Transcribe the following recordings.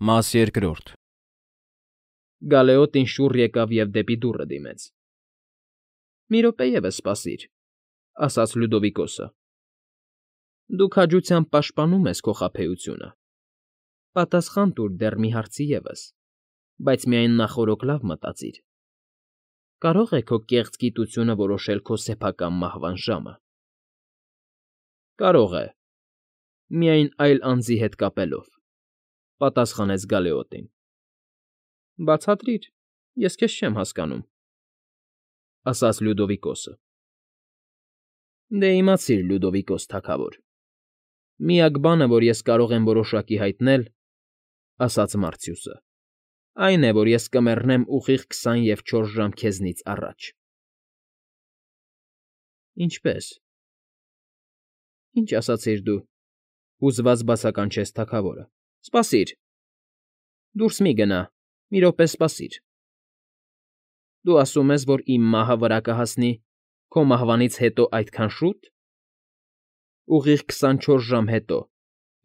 Մաս երկրորդ Գալեոտին շուռ եկավ և դեպի դուռը դիմեց։ ֊ Մի րոպե ևս սպասիր, ֊ ասաց Լյուդովիկոսը։ ֊ Դու քաջությամբ պաշտպանում ես քո խաբեությունը։ Պատասխան տուր դեռ մի հարցի ևս, բայց միայն նախօրոք լավ մտածիր. կարո՞ղ է քո կեղծ գիտությունը որոշել քո սեփական մահվան ժամը։ ֊ Կարող է, միայն այլ անձի հետ կապելով, ֊ պատասխանեց Գալեոտին։ ֊ Բացատրիր, ես քեզ չեմ հասկանում, ֊ ասաց Լյուդովիկոսը։ ֊ Դե իմացիր, Լյուդովիկոս թագավոր, միակ բանը, որ ես կարող եմ որոշակի հայտնել, ֊ ասաց Մարկսիուսը, ֊ այն է, որ ես կմեռնեմ ուղիղ 24 ժամ քեզնից առաջ։ ֊ Ինչպե՞ս։ ֊ Ինչ ասացիր դու,֊ հուզված բացականչեց թագավորը։ ֊ Սպասիր… Դուրս մի գնա, մի րոպե սպասիր… Դու ասում ես, որ իմ մահը վրա կհասնի քո մահվանից հետո այդքան շո՞ւտ։ ֊ Ուղիղ 24 ժամ հետո,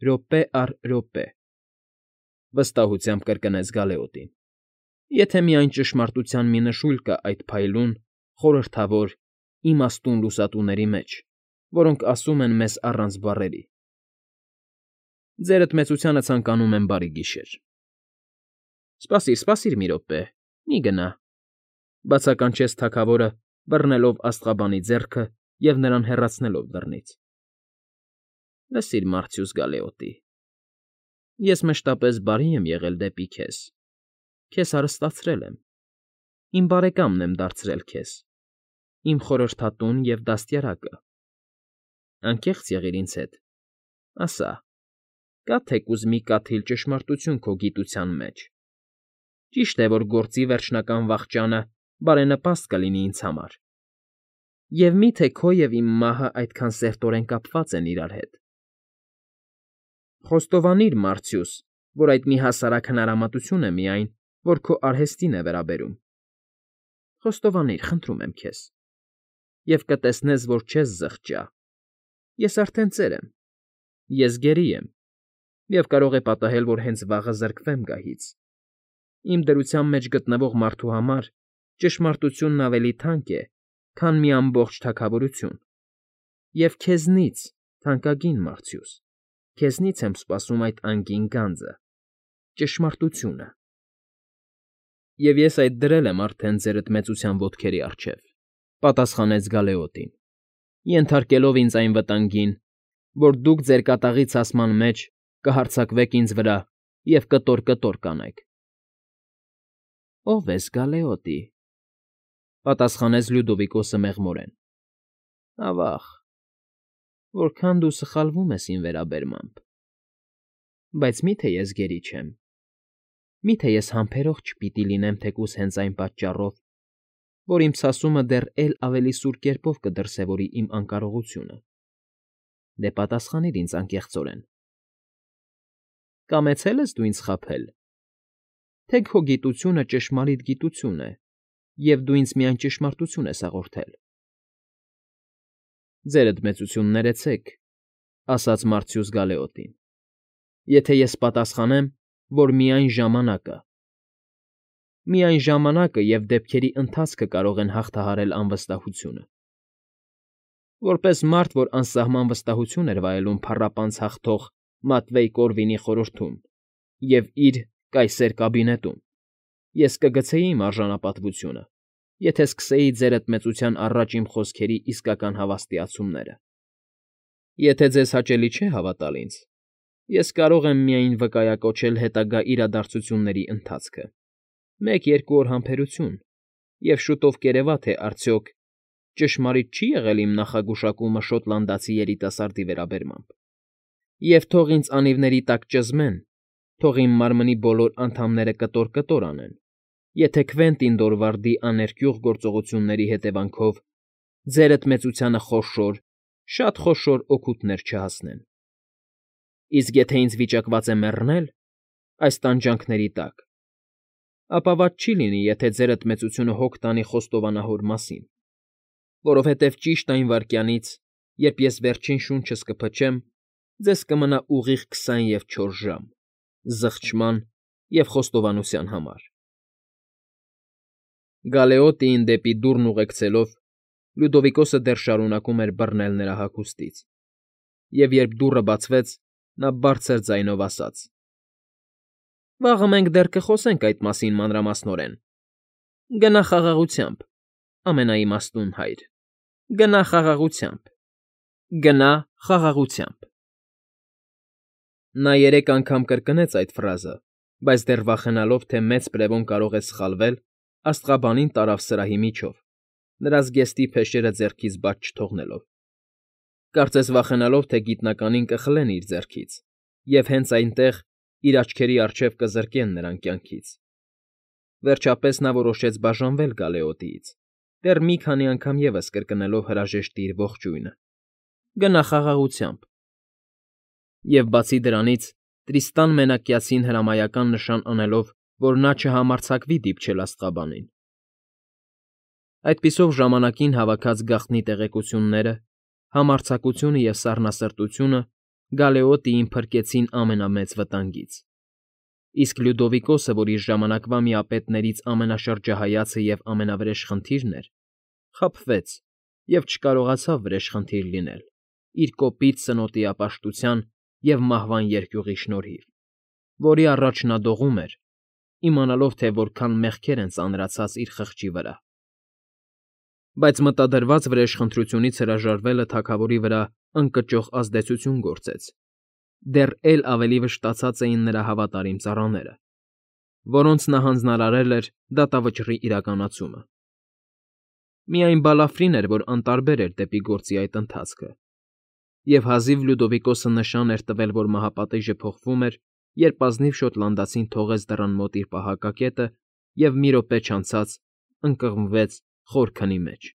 րոպե առ րոպե, ֊ վստահությամբ կրկնեց Գալեոտին։ ֊ Եթե միայն ճշմարտության մի նշույլ կա այդ փայլուն, խորհրդավոր, իմաստուն լուսատուների մեջ, որոնք ասում են մեզ առանց բառերի։ Ձերդ մեծությանը ցանկանում եմ բարի գիշեր։ ֊ Սպասիր մի րոպե, մի գնա,֊ բացականչեց թագավորը, բռնելով աստղաբանի ձեռքը և նրան հեռացնելով դռնից։ ֊ Լսիր, Մարկսիուս Գալեոտի, ես մշտապես բարի եմ եղել դեպի քեզ, քեզ հարստացրել եմ, իմ բարեկամն եմ դարձրել քեզ, իմ խորհրդատուն և դաստիարակը։ Անկեղծ եղիր ինձ հետ, ասա, կա՞ թեկուզ մի կաթիլ ճշմարտություն քո գիտության մեջ։ Ճիշտ է, որ գործի վերջնական վախճանը բարենպաստ կլինի ինձ համար, և մի՞թե քո և իմ մահը այդքան սերտորեն կապված են իրար հետ։ Խոստովանիր, Մարկսիուս, որ այդ մի հասարակ հնարամատություն է միայն, որ քո արհեստին է վերաբերում։ Խոստովանիր, խնդրում եմ քեզ, և կտեսնես, որ չես զղջա։ Ես արդեն ծեր եմ, ես գերի եմ, և կարող է պատահել, որ հենց վաղը զրկվեմ գահից։ Իմ դրության մեջ գտնվող մարդու համար ճշմարտությունն ավելի թանկ է, քան մի ամբողջ թագավորություն, և քեզնից, թանկագին Մարկսիուս, քեզնից եմ սպասում այդ անգին գանձը՝ ճշմարտությունը։ ֊ Եվ ես այդ դրել եմ արդեն ձերդ մեծության ոտքերի առջև,֊ պատասխանեց Գալեոտին,֊ ենթարկելով ինձ այն վտանգին, որ դուք ձեր կատաղի ցասման մեջ կհարձակվեք ինձ վրա և կտոր կանեք։ ֊ Ո՞վ ես, Գալեոտի,֊ պատասխանեց Լյուդովիկոսը մեղմորեն։ ֊ Ավա՜ղ, որքան դու սխալվում ես իմ վերաբերմամբ։ Բայց մի՞թե ես գերի չեմ, մի՞թե ես համբերող չպիտի լինեմ թեկուզ հենց այն պատճառով, որ իմ ցասումը դեռ էլ ավելի սուր կերպով կդրսևորի իմ անկարողությունը։ Դե պատասխանիր ինձ անկեղծորեն. կամեցե՞լ ես դու ինձ խաբել, թե քո գիտությունը ճշմարիտ գիտություն է, և դու ինձ միայն ճշմարտություն ես հաղորդել։ ֊ Ձերդ մեծություն ներեցեք,֊ ասաց Մարկսիուս Գալեոտին,֊ եթե ես պատասխանեմ, որ միայն ժամանակը… Միայն ժամանակը և դեպքերի ընթացքը կարող են հաղթահարել անվստահությունը։ Որպես մարդ, որ անսահման վստահություն էր վայելում փառապանծ հաղթող Մատվեյ Կորվինի խորհրդում և իր կայսեր կաբինետում, ես կգցեի իմ արժանապատվությունը, եթե սկսեի ձերդ մեծության առաջ իմ խոսքերի իսկական հավաստիացումները։ Եթե ձեզ հաճելի չէ հավատալ ինձ, ես կարող եմ միայն վկայակոչել հետագա իրադարձությունների ընթացքը, 1-2 օր համբերություն, և շուտով կերևա, թե արդյոք ճշմարիտ չի՞ եղել իմ նախագուշակումը շոտլանդացի երիտասարդի վերաբերմամբ։ Եվ թող ինձ անիվների տակ ճզմեն, թող իմ մարմնի բոլոր անդամները կտոր անեն, եթե Քվենտին Դորվարդի աներկյուղ գործողությունների հետևանքով ձերդ մեծությանը խոշոր, շատ խոշոր օգուտներ չհասնեն։ Իսկ եթե ինձ վիճակված է մեռնել այս տանջանքների տակ, ապա վատ չի լինի, եթե ձերդ մեծությունը հոգ տանի խոստովանահոր մասին, որովհետև ճիշտ այն վայրկյանից, երբ ես վերջին շունչս կփչեմ, ձեզ կմնա ուղիղ 24 ժամ՝ զղջման և խոստովանության համար։ Գալեոտիին դեպի դուռն ուղեկցելով Լյուդովիկոսը դեռ շարունակում էր բռնել նրա հագուստից, և երբ դուռը բացվեց, նա բարձր ձայնով ասաց. ֊ Վաղը մենք դեռ կխոսենք այդ մասին մանրամասնորեն։ Գնա խաղաղությամբ, ամենաիմաստուն հայր, գնա խաղաղությամբ, գնա խաղաղությամբ… Նա 3 անգամ կրկնեց այդ ֆրազը, բայց դեռ վախենալով, թե մեծ պրևոն կարող է սխալվել, աստղաբանին տարավ սրահի միջով, նրա զգեստի փեշերը ձեռքից բաց չթողնելով, կարծես վախենալով, թե գիտնականին կխլեն իր ձեռքից և հենց այնտեղ իր աչքերի առջև կզրկեն նրան կյանքից։ Վերջապես նա որոշեց բաժանվել Գալեոտիից, դեռ մի քանի անգամ ևս կրկնելով հրաժեշտի իր ողջույնը. «Գնա խաղաղությամբ»։ Եվ բացի դրանից, Տրիստան մենակյացին հրամայական նշան անելով, որ նա չհամարձակվի դիպչել աստղաբանին։ Այդպիսով ժամանակին հավաքած գաղտնի տեղեկությունները, համարձակությունը և սառնասրտությունը Գալեոտիին փրկեցին ամենամեծ վտանգից, իսկ Լյուդովիկոսը, որ իր ժամանակվա միապետներից ամենաշրջահայացը և ամենավրեժ խնդիրն էր, խաբվեց և չկարողացավ վրեժխնդիր լինել իր կոպիտ սնոտիապաշտության և մահվան երկյուղի շնորհիվ, որի առաջ նա դողում էր, իմանալով, թե որքան մեղքեր են ծանրացած իր խղճի վրա։ Բայց մտադրված վրեժխնդրությունից հրաժարվելը թագավորի վրա ընկճող ազդեցություն գործեց, դեռ էլ ավելի վշտացած էին նրա հավատարիմ ծառաները, որոնց նա հանձնարարել էր դատավճռի իրականացումը։ Միայն Բալաֆրին էր, որ անտարբեր էր դեպի գործի այդ ընթացքը, և հազիվ Լյուդովիկոսը նշան էր տվել, որ մահապատիժը փոխվում էր, երբ ազնիվ շոտլանդացին թողեց դռան մոտ իր պահակակետը և մի րոպե չանցած ընկղմվեց խոր քնի մեջ։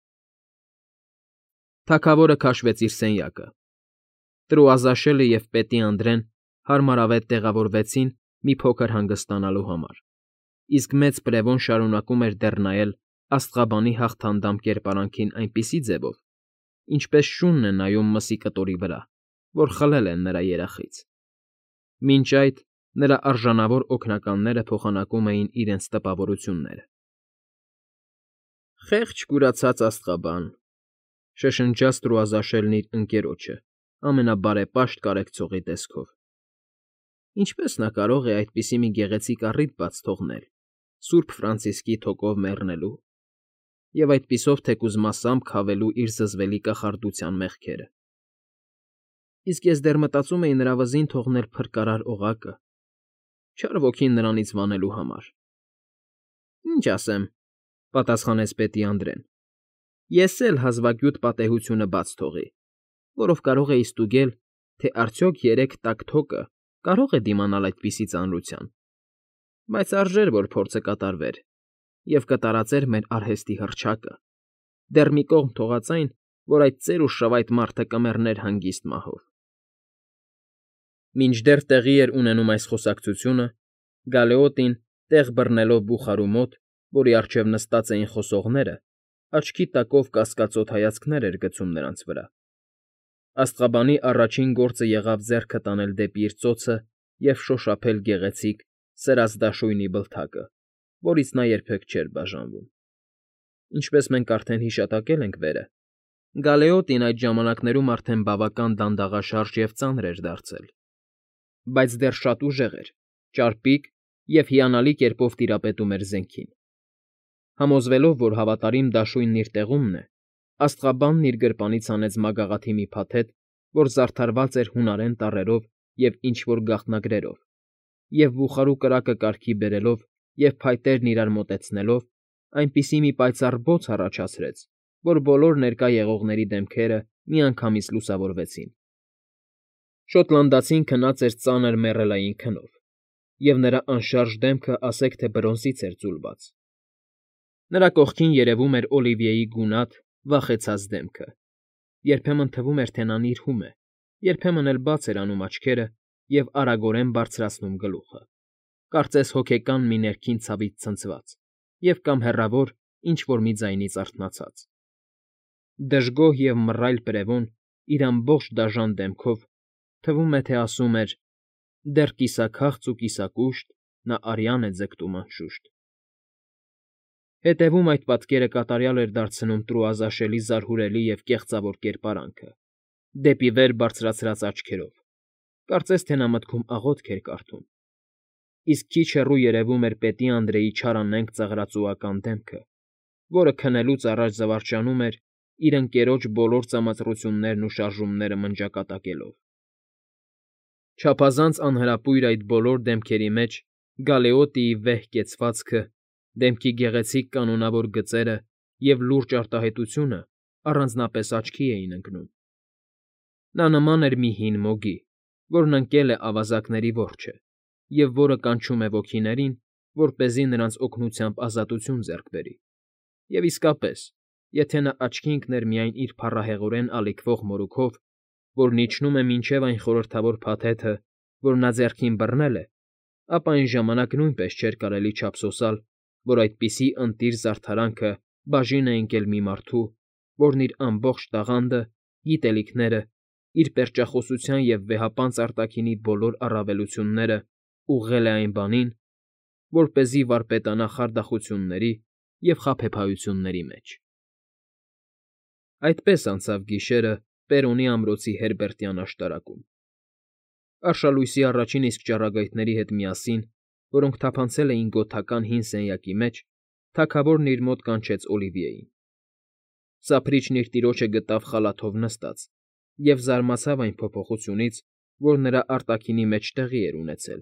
Թագավորը քաշվեց իր սենյակը։ Տրուազաշելը և պետի Անդրեն հարմարավետ տեղավորվեցին մի փոքր հանգստանալու համար, իսկ մեծ պրևոն շարունակում էր դեռ նայել աստղաբանի հաղթանդամ կերպարանքին այնպիսի ձևով, ինչպես շունն է նայում մսի կտորի վրա, որ խլել են նրա երախից։ Մինչ այդ նրա արժանավոր օգնականները փոխանակում էին իրենց տպավորությունները։ «Խեղճ կուրացած աստղաբան,֊ շշնջաց Տրուազաշելն իր ընկերոջը ամենաբարեպաշտ կարեկցողի տեսքով,֊ ինչպե՞ս նա կարող է այդպիսի մի գեղեցիկ առիթ բաց թողնել Սուրբ Ֆրանցիսկի թոկով մեռնելու և այդպիսով թեկուզ մասամբ քավելու իր զզվելի կախարդության մեղքերը։ Իսկ ես դեռ մտածում էի նրա վզին թողնել փրկարար օղակը, չար ոգին նրանից վանելու համար»։ «Ինչ ասեմ,֊ պատասխանեց պետի Անդրեն,֊ ես էլ հազվագյուտ պատեհությունը բաց թողի, որով կարող էի ստուգել, թե արդյոք 3 տաք թոկը կարող է դիմանալ այդպիսի ծանրության, բայց արժեր, որ փորձը կատարվեր և կտարածեր մեր արհեստի հռչակը, դեռ մի կողմ թողած այն, որ այդ ծեր ու շվայտ մարդը կմեռներ հանգիստ մահով»։ Մինչդեռ տեղի էր ունենում այս խոսակցությունը, Գալեոտին, տեղ բռնելով բուխարու մոտ, որի առջև նստած էին խոսողները, աչքի տակով կասկածոտ հայացքներ էր գցում նրանց վրա։ Աստղաբանի առաջին գործը եղավ ձեռքը տանել դեպի իր ծոցը և շոշափել գեղեցիկ, սրած դաշույնի բլթակը, որից նա երբեք չէր բաժանվում։ Ինչպես մենք արդեն հիշատակել ենք վերը, Գալեոտին այդ ժամանակներում արդեն բավական դանդաղաշարժ և ծանր էր դարձել, բայց դեռ շատ ուժեղ էր, ճարպիկ և հիանալի կերպով տիրապետում էր զենքին։ Համոզվելով, որ հավատարիմ դաշույնն իր տեղումն է, աստղաբանն իր գրպանից հանեց մագաղաթի մի փաթեթ, որ զարդարված էր հունարեն տառերով և ինչ֊որ գաղտնագրերով, և բուխարու կրակը կարգի բերելով և փայտերն իրար մոտեցնելով, այնպիսի մի պայծառ բոց առաջացրեց, որ բոլոր ներկա եղողների դեմքերը միանգամից լուսավորվեցին։ Շոտլանդացին քնած էր ծանր մեռելային քնով, և նրա անշարժ դեմքը ասեք թե բրոնզից էր ձուլված։ Նրա կողքին երևում էր Օլիվիեի գունատ, վախեցած դեմքը, երբեմն թվում էր, թե նա նիրհում է, երբեմն էլ բաց էր անում աչքերը և արագորեն բարձրացնում գլուխը, կարծես հոգեկան մի ներքին ցավից ցնցված և կամ հեռավոր ինչ֊որ մի ձայնից արթնացած։ Դժգոհ և մռայլ պրևոն իր ամբողջ դաժան դեմքով, թվում է, թե ասում էր. «Դեռ կիսաքաղց ու կիսակուշտ, նա արյան է ձգտում անշուշտ։ Հետևում այդ պատկերը կատարյալ էր դարձնում տրուազաշելի զարհուրելի և կեղծավոր կերպարանքը, դեպի վեր բարձրացրած աչքերով, կարծես թե նա մտքում աղոթք էր կարդում, իսկ քիչ հեռու երևում էր պետի Անդրեի չարանենգ ծաղրածուական դեմքը, որը քնելուց առաջ զվարճանում էր իր ընկերոջ բոլոր ծամածռություններն ու շարժումները մնջակատակելով։ Չափազանց անհրապույր այդ բոլոր դեմքերի մեջ Գալեոտիի վեհ կեցվածքը, դեմքի գեղեցիկ կանոնավոր գծերը և լուրջ արտահայտությունը առանձնապես աչքի էին ընկնում։ Նա նման էր մի հին մոգի, որն ընկել է ավազակների որջը և որը կանչում է ոգիներին, որպեսզի նրանց օգնությամբ ազատություն ձեռք բերի։ Եվ իսկապես, եթե նա աչքի ընկներ միայն իր փառահեղորեն ալիքվող մորուքով, որն իջնում է մինչև այն խորհրդավոր փաթեթը, որ նա ձեռքին բռնել է, ապա այն ժամանակ նույնպես չէր կարելի չափսոսալ, որ այդպիսի ընտիր զարդարանքը բաժին է ընկել մի մարդու, որն իր ամբողջ տաղանդը, գիտելիքները, իր պերճախոսության և վեհապանծ արտաքինի բոլոր առավելությունները ուղղել է այն բանին, որպեսզի վարպետանա խարդախությունների և խաբեբայությունների մեջ։ Այդպես անցավ գիշերը Պերոնի ամրոցի Հերբերտյան աշտարակում։ Արշալույսի առաջին իսկ ճառագայթների հետ միասին, որոնք թափանցել էին գոթական հին սենյակի մեջ, թագավորն իր մոտ կանչեց Օլիվիեին։ Սափրիչն իր տիրոջը գտավ խալաթով նստած և զարմացավ այն փոփոխությունից, որ նրա արտաքինի մեջ տեղի էր ունեցել,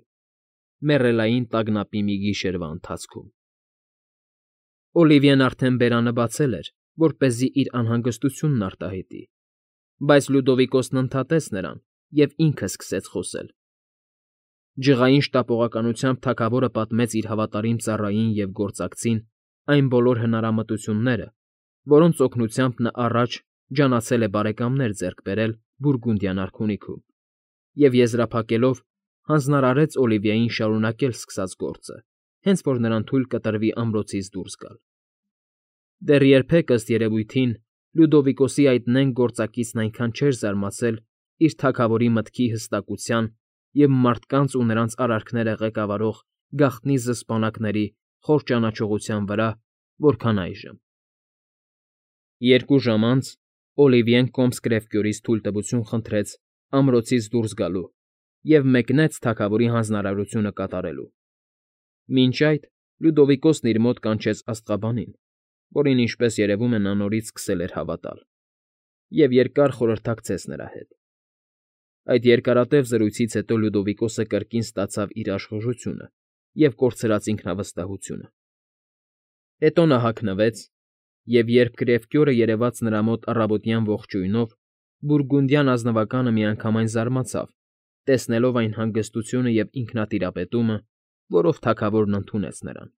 մեռելային տագնապի մի գիշերվա ընթացքում։ Օլիվիեն արդեն բերանը բացել էր, որպեսզի իր անհանգստությունն արտահայտի, բայց Լյուդովիկոսն ընդհատեց նրան և ինքը սկսեց խոսել։ Ջղային շտապողականությամբ թագավորը պատմեց իր հավատարիմ ծառային և գործակցին այն բոլոր հնարամտությունները, որոնց օգնությամբ նա առաջ ջանացել է բարեկամներ ձեռք բերել Բուրգունդյան արքունիքում, և եզրափակելով հանձնարարեց Օլիվիեին շարունակել սկսած գործը, հենց որ նրան թույլ կտրվի ամրոցից դուրս գալ։ Դեռ երբեք, ըստ երևույթին, Լյուդովիկոսի այդ նենգ գործակիցն այնքան չէր զարմացել իր թագավորի մտքի հստակության և մարդկանց ու նրանց արարքները ղեկավարող գաղտնի զսպանակների խոր ճանաչողության վրա, որքան այժմ։ 2 ժամ անց Օլիվիեն կոմս կրևկյորից թույլտվություն խնդրեց ամրոցից դուրս գալու և մեկնեց թագավորի հանձնարարությունը կատարելու։ Մինչ այդ Լյուդովիկոսն իր մոտ կանչեց աստղաբանին, որին, ինչպես երևում է, նա նորից սկսել էր հավատալ, և երկար խորհրդակցեց նրա հետ։ Այդ երկարատև զրույցից հետո Լյուդովիկոսը կրկին ստացավ իր աշխուժությունը և կորցրած ինքնավստահությունը։ Հետո նա հագնվեց, և երբ կրևկյորը երևաց նրա մոտ առավոտյան ողջույնով, Բուրգունդյան ազնվականը միանգամայն զարմացավ, տեսնելով այն հանգստությունը և ինքնատիրապետումը, որով թագավորն ընդունեց նրան։